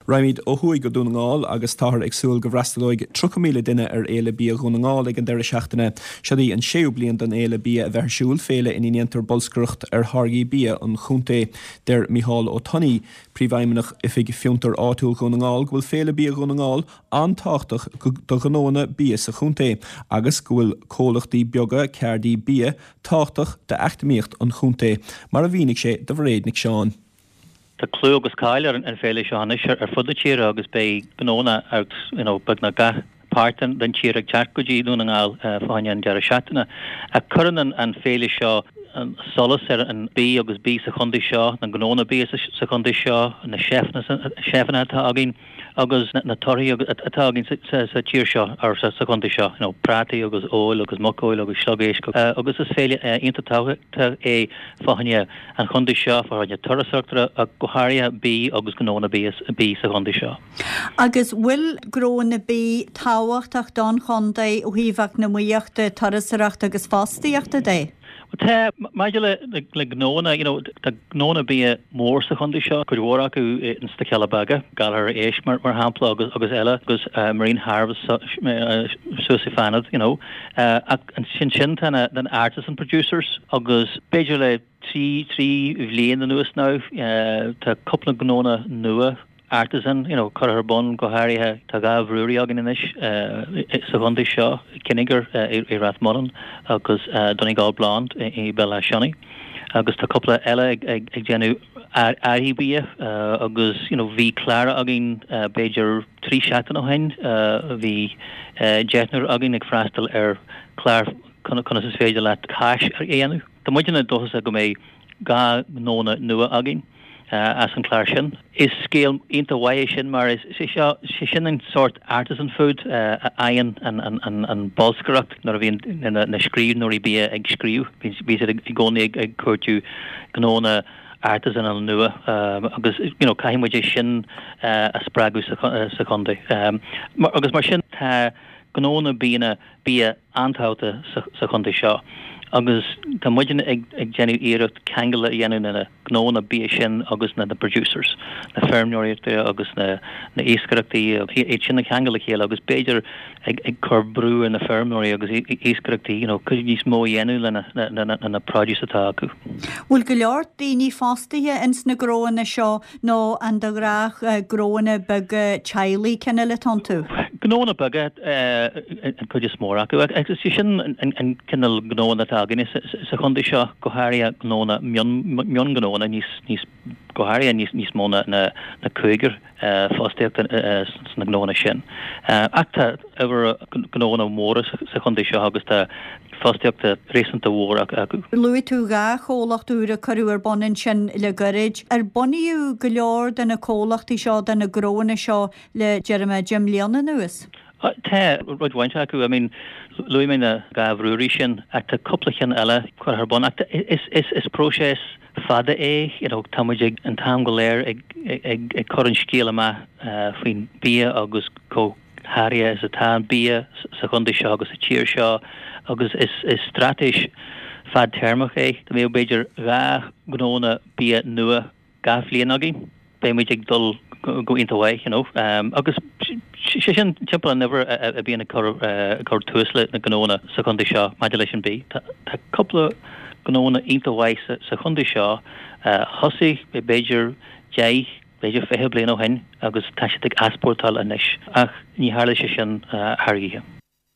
Raghaimid ó thuaidh go Dún na nGall agus táthar ag súil go bhfreastalóidh 30,000 duine ar Fhéile Bia Dhún na nGall ag an deireadh seachtaine. Seod í an séú bliain don Fhéile Bia a bheith ar siúl, féile ina ndéantar bolscaireacht ar tháirgí bia an chontae. Deir Micheál Ó Tonnaigh, Príomhfheidhmeannach Oifig Fiontar Áitiúil Dhún na nGall go bhfuil Féile Bia Dhún na nGall an-tábhachtach do ghnóanna bia sa chontae agus go bhfuil comhlachtaí beaga ceardaí bia tábhachtach d'eacnamaíocht an chontae, mar a mhínigh sé do Mhairéad Nic Seáin. Tá clú agus cáil ar an féile seo anois ar fud na tíre agus beidh gnónna as you know beagnach gach páirt den tír ag teacht go dtí Dún na nGall fá choinne an deireadh seachtaine. Ach cuireann an féile seo solas ar an bia agus bia sa chontae seo, na gnónna bia sa chontae seo, na seifeanna atá againn agus na torthaí atá againn sa tír seo, or sa chontae seo, you know prátaí agus fheoil agus muiceoil agus sliogéisc agus is féile iontach tábhachtach é fá choinne an chontae seo, fá choinne turasóireachta ach go háirithe bia agus gnónna bia sa chontae seo. Agus bhfuil gnónna bia tábhachtach don chontae ó thaobh eacnamaíochta, turasóireachta agus fostaíochta de? Bhuel tá, maidir le gnónna, you know, tá gnónna bia mór sa chontae seo, cuid mhór acu ins na Cealla Beaga, Gallagher Éisc mar shampla agus agus eile agus Marine Harvest suas i Fanad, you know. Ach ansin sin tá na artisan producers agus b'fhéidir le 3 3 bhliain anuas now tá cúpla gnónna nua artisan, you know, curtha ar bun, go háirithe tá 2 bhrewery againn anois sa chontae seo, Kinnegar i Rath Monán agus Donegal Blonde i Béal Átha Sionna agus tá cúpla eile ag déanamh earraí bia agus, you know, bhí clár againn b'fhéidir 3 seachtain ó shin, bhí deichniúr againn ag freastal ar chlár conas is féidir leat cáis a dhéanamh. Tá muidne dóchasach go mbeidh 2 ghnónna nua againn as an chlár sin. Is scéal iontach mhaith é sin mar is é seo, sé sin an sórt artisan food a fhaigheann an bolscaireacht nuair a bhíonn na scríbhneoirí bia ag scríobh. Bíonn siad i gcónaí ag cuartú gnónna artisanal nua agus you know caithfidh muid é sin a spreagadh sa chontae. Agus mar sin tá gnónna bianna bia an-tábhachtach sa chontae seo agus tá muidne ag déanamh iarracht ceangal a dhéanamh na gnónna bia sin agus na producers, na feirmeoireachta agus na iascaireachtaí, iad sin a cheangal le chéile agus b'fhéidir ag cur brú ar na feirmeoirí agus iascaireachtaí you know cuid níos mó a dhéanamh lena na produce atá acu. Bhfuil go leor daoine fostaithe ins na gnóanna seo Nó an de ghnách gnóanna beaga teaghlaigh cineál atá iontu? Gnóanna beaga an chuid is mó acu. Agus is é sin an cineál gnóanna atá againne sa chontae seo, go háirithe gnóanna, mionghnóanna níos, go háirithe níos mó ná cúigear fostaíochta sna gnóanna sin. Ach tá uimhir gnóanna móra sa chontae seo agus tá fostaíocht réasúnta mhór acu. Luaigh tú 2 chomhlacht úr a cuireadh ar bun ansin le gairid. Ar bunaíodh go leor de na comhlachtaí seo, de na gnóanna seo le, déarfaidh mé, 10 mbliana anuas? Tá roinnt mhaith acu. I mean, luaigh mé na 2 bhrewery sin ach tá cúpla ceann eile curtha ar bun. Ach is próiseas fada é, you know, tá muid ag an t-am go léir ag ag cur an scéal amach faoin bia agus chomh háirithe is atá an bia sa chontae seo agus sa tír seo agus is straitéis fadtéarmach é. Dá mbeadh b'fhéidir 2 ghnónna bia nua gach bhliain againn, beidh muid ag dul go iontach mhaith, you know. Agus sé sin timpeall an uimhir a bhíonn ag cur tús le na gnónna sa chontae seo maidir leis an bia. Tá cúpla gnónna iontach mhaith sa chontae seo a thosaigh b'fhéidir 10, b'fhéidir 20 bliain ó shin agus tá siad ag easpórtáil anois ach ní tharla sé sin thar oíche.